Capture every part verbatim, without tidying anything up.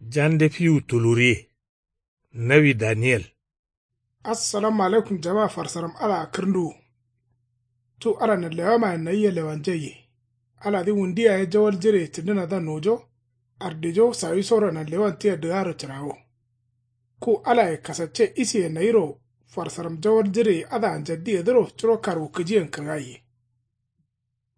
Jande fiwu tuluriye. Nawi daniyel. Assalamu alaikum jama farsaram. Ala kǝrnduwu. Cu ala nanlewamayen nayia lewanjaiye. Aladǝ wundu yaye jawal jireye cǝndǝnadǝa nojo. Ardijo sawisoro nanlewan tia dǝgaro cǝrawo. Ku alaye kasacce isiye nayiro farsaram jawal jireye adǝa njaddiyedǝro curo karwukǝjiyen kǝrgaiye.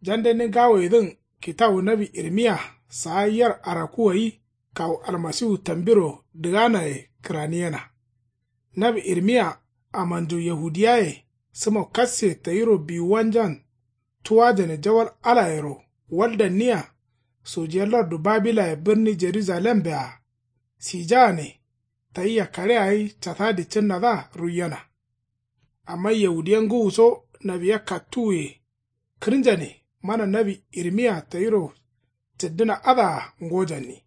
Jandeni ngawoyedǝn kitawu nawi irmiya saa yer araku gai kawu almasiwu tambiro dǝganaye kǝraniyena. Nawi irmiya amanju yahudiyaye sǝmo kasse tayiro biwuwanjan tuwajane jawal alayero waldanniya. Sojiye lardu babilaye birni jerujalembea sijagane tayia kaɍea gai catadi cǝnnadǝa ruiyena. Amma yahudiya ngǝwuso nawiya kattuwuye kǝrnjane mana nawi irmiya tayiro cǝddǝna adǝa ngojanni.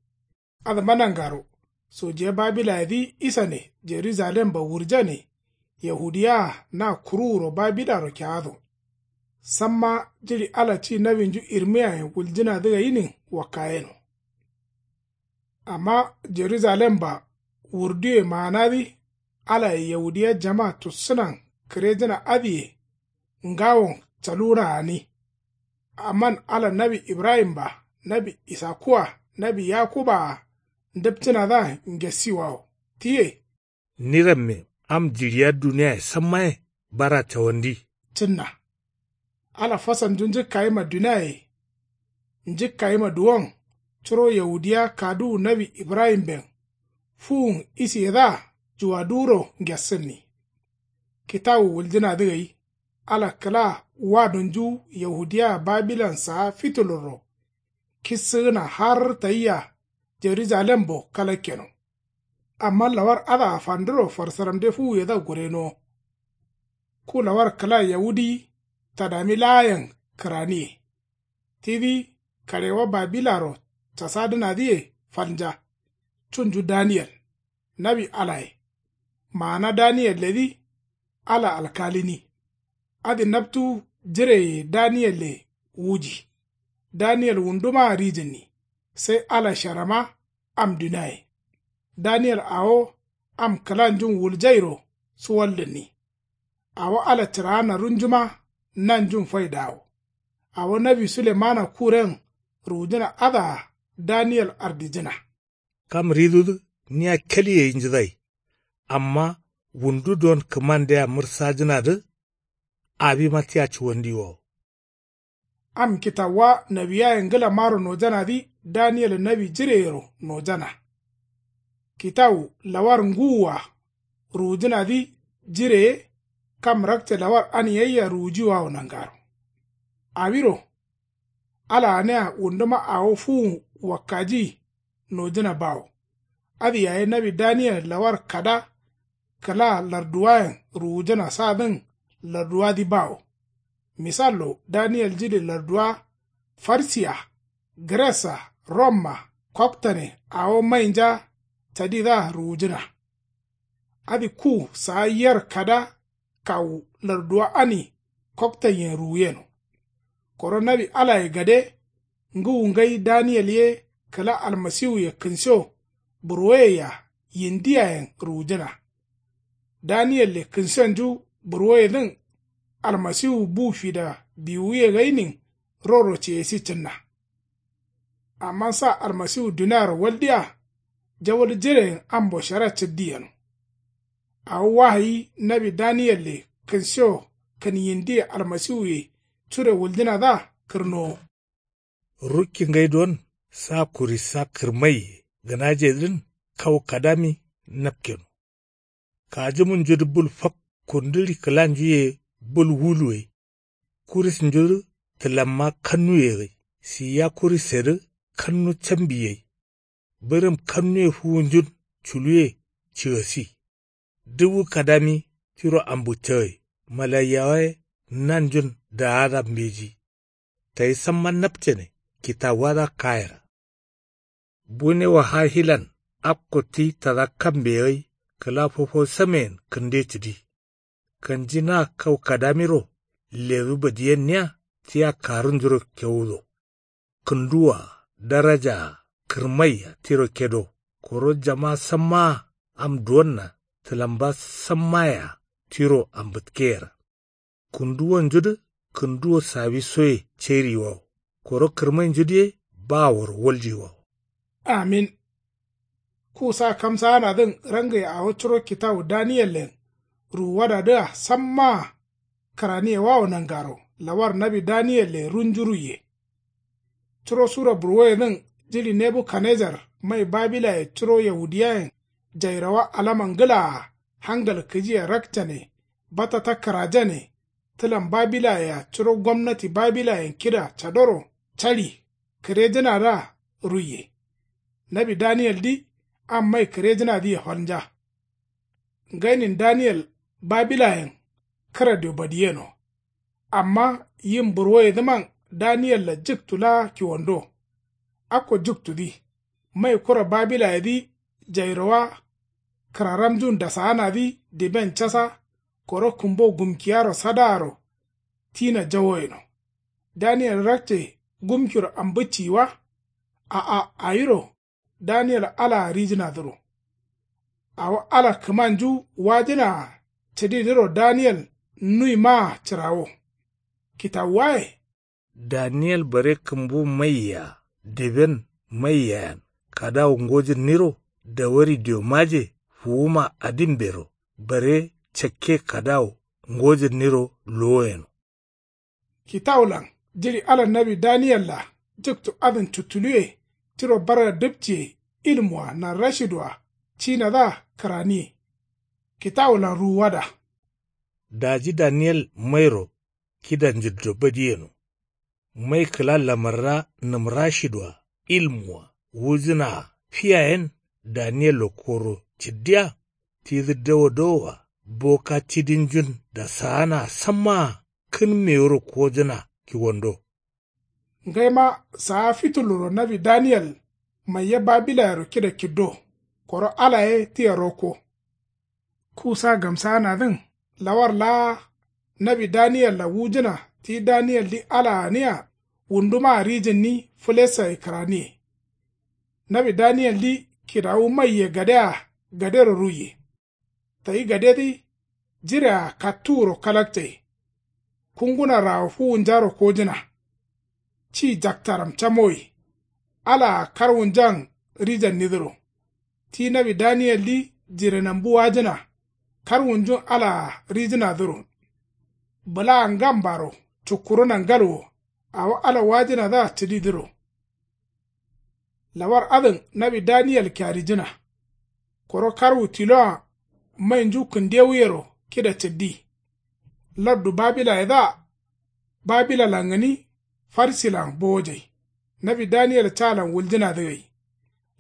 Adǝma nangaro sojiya babilayedǝ isane jerujalemba wurjane. Yahudiyaa na kuruwuro babilaro keado. Samma jiɍi ala ci nawinju irmiyayen wuljǝnadǝ gainin wakkayeno. Amma jerujalemba wurduye maanadǝ alaye yahudiya jama tussǝnan kǝrejǝna adǝye ngawon caluwuna gani. Amman ala nawi ibrahimba nawi isakuwa nawi yakubaa ndǝpcǝnadǝa ngesiwawo tiye. Ni ramme am jiɍiya duniyaye sammaye bara cawandi cǝnna. Ala fasalnju njǝkkayima duniyaye njǝkkayima duwon curo yahudiya kaduwu nawi ibrahimben fuwun isiyedǝa juwaduwuro ngessǝnni. Kitawu wuljǝnadǝ gai ala kǝla wadunju yahudiya babilan saa fitulurro kissǝgǝna har tayia jerujalembo kalakkeno. Amma lawar adǝa fanduro farsaramde fuwuyedǝa gurenowo. Ku lawar kǝla yawudi tadami laayen kǝraniye. Tidǝ kaɍewa babilaro casadǝnadǝye falnja. Cunju daniyel nawi alaye. Maana daniyelledǝ ala alkalini. Adǝ naptu jireye daniyelle wuji. Daniyel wundumaa rijǝnni sai ala sharama am duniaye. Daniyel awo am kǝlanjun wuljairo suwaldǝnni. Awo ala cǝraana runjuma nanjun faidawo. Awo nawi sulemana kuren ruwujǝna adǝa daniyel ardijǝna. Kam ridudǝ nia keli gai njǝdai. Amma wundu don kǝmandea mǝrsajǝnadǝ. Awima tia cuwandiwawo. Am kitawuwa nawiyaye ngǝlamaro nojanadǝ daniyel nawi jireyero nojana. Kitawu lawar ngǝwua ruwujǝnadǝ jireye kam rakce lawar ani gaia ruwujiwawo nangaro. Awiro ala ganea wunduma awo fuwun wakkaji nojǝna bawo. Adǝ yaye nawi daniyel lawar kada kǝla larduwayen ruwujǝna sadǝn larduwadǝ bawo. Misallo daniyel jiɍi larduwa farsiya gres-a rom-a koktane awo mainja cadidǝa ruwujǝna. Adǝ ku saa yer kada kawu larduwa ani koktanyen ruwuyeno. Koro nawi alaye gade ngǝwu ngai daniyel ye kǝla almasiwuye kǝnsiyo burwoyeyea yindiyayen ruwujǝna. Daniyelle kǝnsiyonju burwoyedǝn almasiwu bu fida biwuye gainin roro ceyesi cǝnna. Amma sa almasiwu duniaro waldiya jawal jireyen ambo shara cǝddi yeno. Awo wahayi nawi daniyelle kǝnsiyo kǝn yindiye almasiwuye cure wuljǝnadǝa kǝrnowo. Rukki ngai don sa kurissa kǝrmaiye gǝnajedǝn kau kadami napkeno. Kajimunjudǝ bul fak kundǝri kǝlanju ye bul wulu gai. Kurisnjudǝ tǝlamma kannuye gai. Siya kurisedǝ kannu cambi gai. Bǝrǝm kannuye fuwunjun culuye cigasi. Duwu kadami tiro ambuccagai malaiyawaye nanjun daada mbeji. Tayi samma napcane kitawuwadǝa kayera. Bune wahahilan akko ti tada kambe gai kǝla fofo sameyen kǝnde cǝdi. Kanji na kau kadamiro ledu badiyenniya tia karunjuro kewudo. Kǝnduwa darajaa kǝrmaiya tiro kedo. Koro jama sammaa am duwonna tǝlamba sammayea tiro ambǝtkeyera. Kǝnduwonjudǝ kǝnduwo sawisoye ceriyiwawo. Koro kǝrmainjudǝ ye baworo waljiyiwawo. Amin. Kusa kamsaanadǝn rangai awo curo kitawu daniyellen ruwuwadadǝa sammaa kǝraniyewawo nangaro lawar nawi daniyelle runju ruiye. Curo sura burwoyedǝn jiɍi nebukanejar mai babilaye curo yaudiyayen jairawa alama ngǝlaa hangal kǝjiye rakcane batata kǝrajane. Tǝlan babilayea curo gomnati babilayen kida cadoro caɍi kǝrejǝnadǝa ruiye. Nawi daniyeldi am mai kǝrejǝnadǝye falnja. Ngainin daniyel babilayen kǝradio badiyeno. Amma yin burwoyedǝman daniyel-a jǝktu laa kiwando. Akko jǝktudǝ mai kura babilayedǝ jairowa kǝraramjun dasaanadǝ diben casa koro kǝmbo gumkiyaro sadaaro tina jawoyeno. Daniyel rakce gumkiro ambǝcciyi wa. A'a awiro daniyel alaa rijǝnadǝro. Awo ala kǝmanju wajǝnaa cǝdidǝro daniyel nuimaa cǝrawo. Kitawuwaye. Daniyel bare kǝmbu maiyea diben maiyeayen kadawu ngojǝnniro dawari diomaje fuwuma adimbero bare cakke kadawu ngojǝnniro luwoyeno. Kitawulan jiɍi ala nawi daniyel-a jǝktu adǝn cuttuluwe tiro barga dǝpciye ilmua narrashidua cinadǝa kǝraniye. Kitawulan ruwuwada. Daji daniyel mairo kida njǝddo badiyeno. Mai kǝla lamarra nǝmrashidua ilmua wujǝnaa fiyayen daniyello koro cǝddiya tidǝ dawo dawoa boka cidinjun dasaanaa sammaa kǝn mewuro kojǝna kiwando. Ngaima saa fituluro nawi daniyel maiya babilayero kida kiddo koro ala ye tia rokko. Kusa gamsaanadǝn lawar laa nawi daniyel-a wujǝna ti daniyeldi ala gǝnia wundumaa rijǝnni fǝlesaye kǝraniye. Nawi daniyeldi kidawu maiye gadea gadero ruiye. Tayi gadedǝ jirea kattuwuro kalakcaye. Kunguna rawo fuwunjaro kojǝna. Ci jaktaram camoyi. Alaa karwunjan rijannidǝro. Ti nawi daniyeldi jirenambu wajǝna karwunjun alaa rijǝnadǝro. Bǝlaa ngambaro cukkuruna ngalwo awo ala wajǝnadǝa cǝdidǝro. Lawar adǝn nawi daniyel kiarijǝna. Koro karwu tiloa mainju kǝndewuyero kida cǝddi. Lardu babilayedǝa babilalan gǝni farsilan bowojai. Nawi daniyel calan wuljǝnadǝ gai.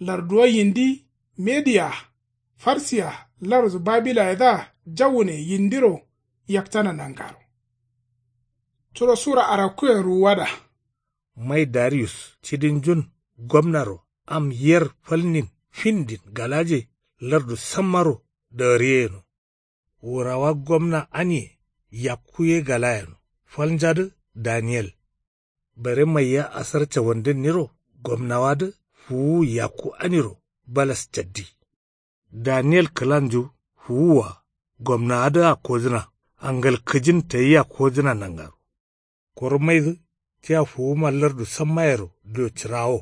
Larduwa yindi mediya farsiya lardu babilayedǝa jawune yindiro yaktana nangaro. Curo sura arakkuyen ruwuwada. Mai dariyus cidinjun gomnaro am yer falnin findin galaje lardu sammaro dagǝriyeyeno. Wurawa gomna anie yakku ye galayeno falnjadǝ daniyel. Bare maiya asar cawandǝnniro gomnawadǝ fuwuwu yakku aniro balas caddi. Daniyel kǝlanju fuwuwua gomnawadǝa kojǝna angal kǝjin tayia kojǝna nangaro. Koro maidǝ tia fuwuma lardu sammayero dio cǝrawo.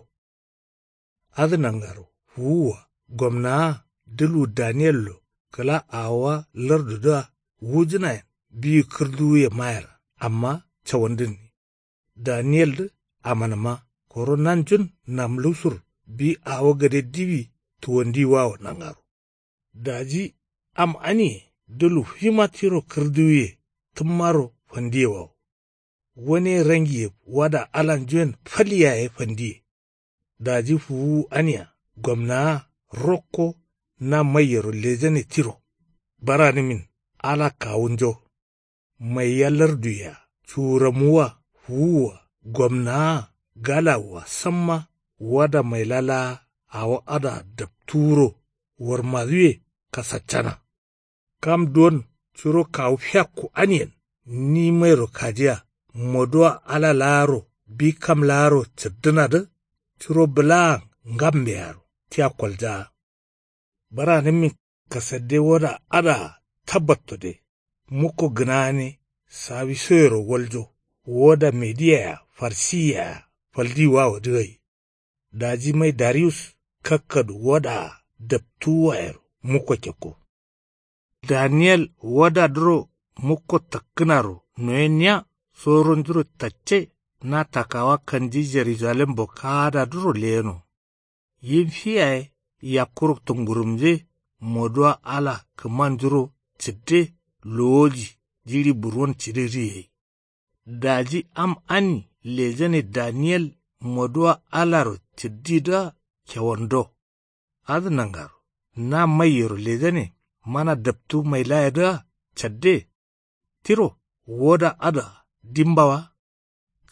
Adǝ nangaro fuwuwa gomnaa dǝlu daniyello kǝla awowa lardudǝa wujǝnayen biyi kǝrduwuye mayera amma cawandǝnni. Daniyeldǝ amanǝma koro nanjun namlusur bi awo gade diwi tuwandiwawo nangaro. Daji am anie dǝlu fima tiro kǝrduwiye tǝmmaro fandiyewawo. Wane rangiye wada alanjuen fal yaye fandiye. Daji fuwuwu ania gomnaa rokko na maiyero lejane tiro. Baranǝmin ala kawunjo. Maiya larduye-a cuwuramuwwa fuwuwwa gomnaa galawua samma wada maila laa awo adǝa daptuwuro warmaduwe kasaccana. Kam duwon curo kawu fiakku aniyen ni mairo kajiya moduwa ala laaro bi kam laaro cǝrdǝnadǝ curo bǝlaan ngambearo tia koljaa. Bǝranǝmmin kasadde woda adǝa tabbattode. Mukko gǝnagane sawisoyero waljo. Woda mediya-a farsiyea-a faldiwawo dǝ gai. Daji mai dariyus kakkadu wodaa daptuwuwayero mukko kekko. Daniyel wodadǝro mukko takkǝnaro noyenniya soronjuro tacce. Na takawa kanji jerujalembo kaadadǝro leyeno. Yim fi yaye yakkuro tungurumje moduwa ala kǝmanjuro cǝdde lowoji jiɍi burwon cǝdidǝ gai. Daji am ani lejane daniyel moduwa alaro cǝddidǝa kewando. Adǝ nangaro na maiyero lejane mana daptu mailayedǝa cadde. Tiro woda adǝa dimba wa.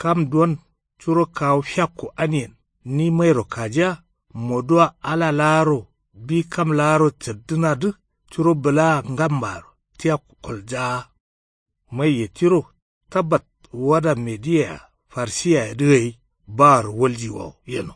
Kam duwon curo kawu fiakku aniyen ni mairo kajiya moduwa ala laaro bi kam laaro caddǝnadǝ curo bǝlaa ngambaro tia koljaa. Maiye tiro tabbat woda mediya-a farsiyayedǝ gai baaro waljiwawo yeno.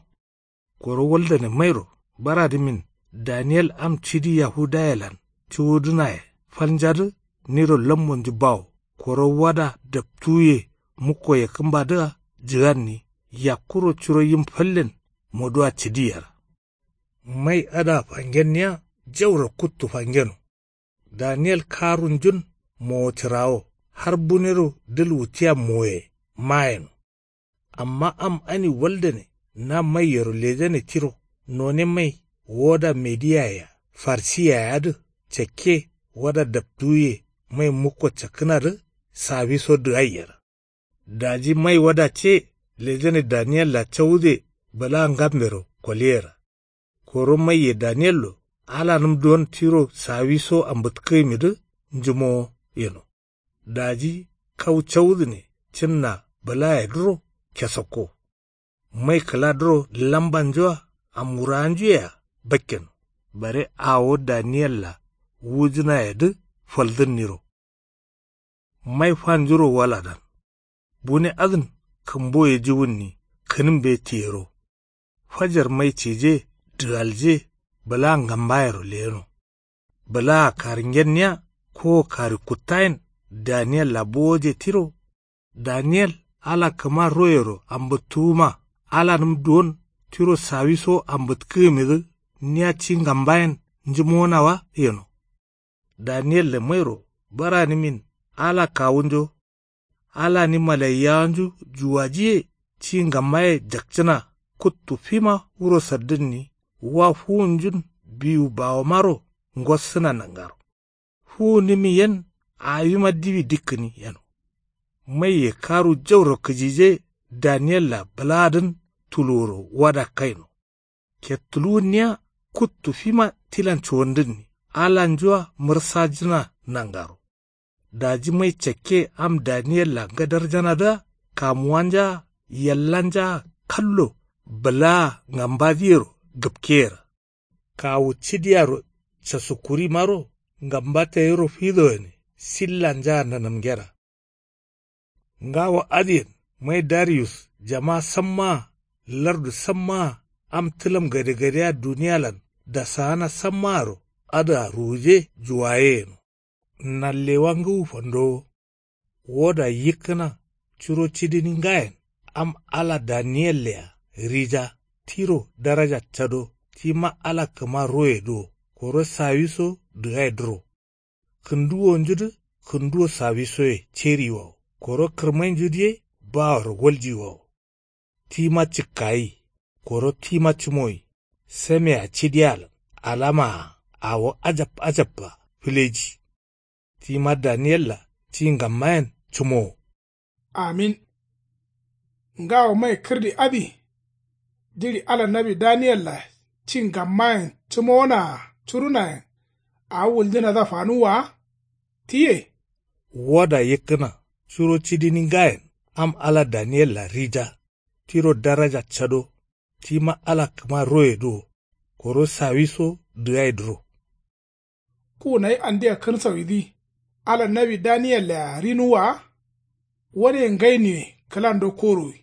Koro waldane mairo baradǝmin daniyel am cidi yahudayelan cuwudǝnaye falnjadǝ niro lammonju bawo. Koro wada daptuwuye mukko yakkǝmbadǝa jǝganni yakkuro curo yim fallen moduwa cǝdi yera. Mai adǝa fangenniya jauro kuttu fangeno. Daniyel karunjun mowo cǝrawo har bunero dǝl wutiya moye mayeno. Amma am ani waldane na maiyero lejane tiro none mai woda mediyaye-a farsiyayea dǝ cakke wada daptuwuye mai mukko cakkǝnadǝ sawiso dǝgaiyera. Daji mai wada ce lejane daniyella cawude bǝla ngambero koliyera. Koro maiye daniyello alanǝm duwon tiro sawiso ambǝtkǝgǝmidǝ njǝmowo yeno. Daji kau cawudǝne cǝnna bǝlayedǝro kesakko. Mai kǝladǝro lambanjua amwurawanjuyea bakkeno. Bare awo daniyella wujǝnayedǝ faldǝnniro. Mai fanjuro waladan bune adǝn kǝmboye juwunni kǝnǝmbe tiyero. Fajar mai cije dǝgalje bǝla ngambayero leyeno. Bǝlaa karingenniya kowo karikkuttayen daniyella bowoje tiro. Daniyel ala kǝma royero ambǝttuwuma alanǝm duwon tiro sawiso ambǝtkǝgǝmidǝ niya ci ngambayen njǝmowona wa yeno. Daniyelle mairo baranǝmin ala kawunjo. Alani malaiyawanju juwajiye ci ngammaye jakcǝna kuttu fima wuro saddǝnni wa fuwunjun biwu bawomaro ngossǝna nangaro. Fuwunǝmi yen awima diwi dikkǝni yeno. Maiye karu jauro kǝjije daniyella bǝlaadǝn tuluwuro wada kaino. Kettuluwunniya kuttu fima tilan cuwandǝnni alanjua mǝrsajǝna nangaro. Daji mai cakke am daniyella ngadarjanadǝa kamuwanjaa yallanjaa kallo bǝlaa ngambadǝyero gǝpkeyera. Kawu cidiyaro casukkurimaro ngamba tayiro fido gǝne sillanjaa nanamngera. Ngawo adǝyen mai dariyus jama sammaa lardu sammaa am tǝlam gadegadea duniyalan dasaana sammaaro adǝa ruwuje juwaye yeno. Nallewa ngǝwu fandowo. Woda yikkǝna curo cidini ngayen am ala daniyellea rija tiro daraja cado tima ala kǝma royedǝ wo koro sawiso dǝgaidǝro. Kǝnduwonjudǝ kǝnduwo sawisoye ceriyiwawo koro kǝrmainjudǝ ye baworo waljiyiwawo. Tima cǝkkayi koro tima cǝmoyi samea cidiyalan alamaa awo ajab ajabba fǝleji. Tima daniyella ci ngammayen cǝmowo. Amin. Ngawo mai kǝrdi adǝ jiɍi ala nawi daniyella ci ngammayen cǝmowonaa curunayen awo wuljǝnadǝa fanuwwa wa. Tiye. Woda yikkǝna curo cidini ngayen am ala daniyella rija tiro daraja cado tima ala kǝma royedǝ wo koro sawiso dǝgaidǝro. Ku nayi andia kǝnsawidǝ ala nawi daniyellea rinuwwa wa. Wane ngainuwe kǝlando korowi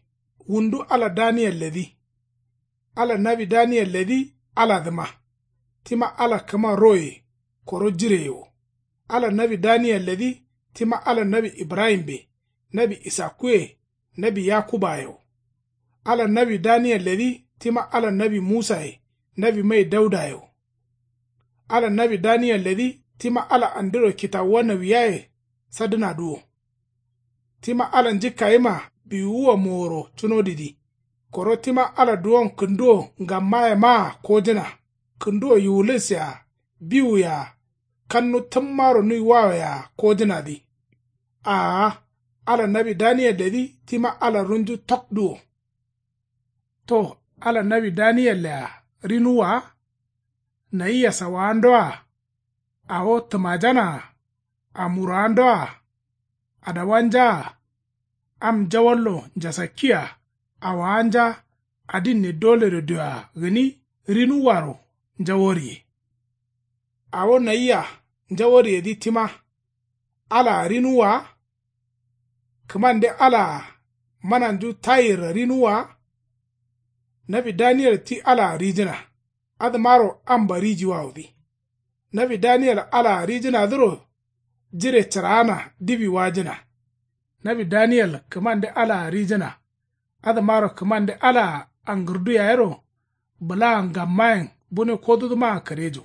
wundu ala daniyelledǝ. Ala nawi daniyelledǝ aladǝma. tima ala kǝma roye koro jireye wo. Ala nawi daniyelledǝ tima ala nawi ibrahimbe, nawi isakkuye, nawi yakubaye wo. Ala nawi daniyelledǝ tima ala nawi musaye, nawi mai daudaye wo. Ala nawi daniyelledǝ tima ala andiro kitawuwa nawiyaye sadǝnadǝ wo. Tima ala njǝkkayima biwuwa moworo cunodǝdǝ. Koro tima ala duwon kǝnduwo ngammayemaa kojǝna. Kǝnduwo yiwulis-a, biwu-a, kannu tǝmmaro nuiwawo-a kojǝnadǝ. Aa, ala nawi daniyelledǝ tima ala runju tokdu wo. To, ala nawi daniyelle-a rinuwwa wa? Nayia sawawandoa? Awo tǝmajanaa? Amurawandoa? Adawanjaa? Am njawallo njasakkiya? Awawanja? Adinne doledo dioa gǝni rinuwwaro njaworiye. Awo nayia njaworiyedǝ tima alaa rinuwwa wa? Kǝmande alaa mananju tayirra rinuwwa wa? Nawi daniyel ti alaa rijǝna. Adǝmaro amba rijiwawodǝ. Nawi daniyel alaa rijǝnadǝro jire cǝraana diwi wajǝna. Nawi daniyel kǝmande alaa rijǝna. Adǝmaro kǝmande alaa angǝrdu yayero bǝlaa ngammayen bune kodudǝmaa karejo.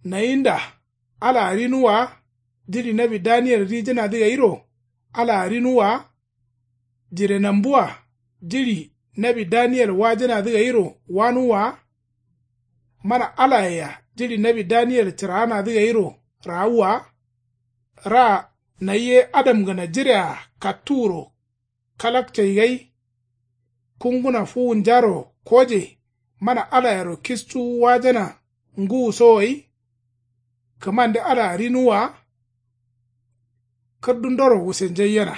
Nayinda alaa rinuwwa wa? Jiɍi nawi daniyel rijǝnadǝ gairo alaa rinuwwa wa? Jirenambuwa jiɍi nawi daniyel wajǝnadǝ gairo wanuwwa wa? Mana alayea jiɍi nawi daniyel cǝraanadǝ gairo raawwa wa? Ra nayye adamgǝna jirea kattuwuro kalakcai gai kunguna fuwunjaro koje mana alayero kistuwu wajana ngǝwuso gai? Kǝmande alaa rinuwwa wa? Kǝrdundoro wusenjaiyena.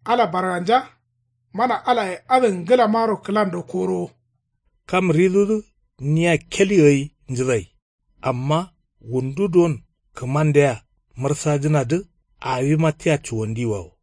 Ala barganja mana alaye adǝn ngǝlamaro kǝlando korowo. Kam ridudǝ nia keli gai njǝdai. Amma wundu duwon kǝmandea mǝrsajǝnadǝ awima tia cuwandiwawo.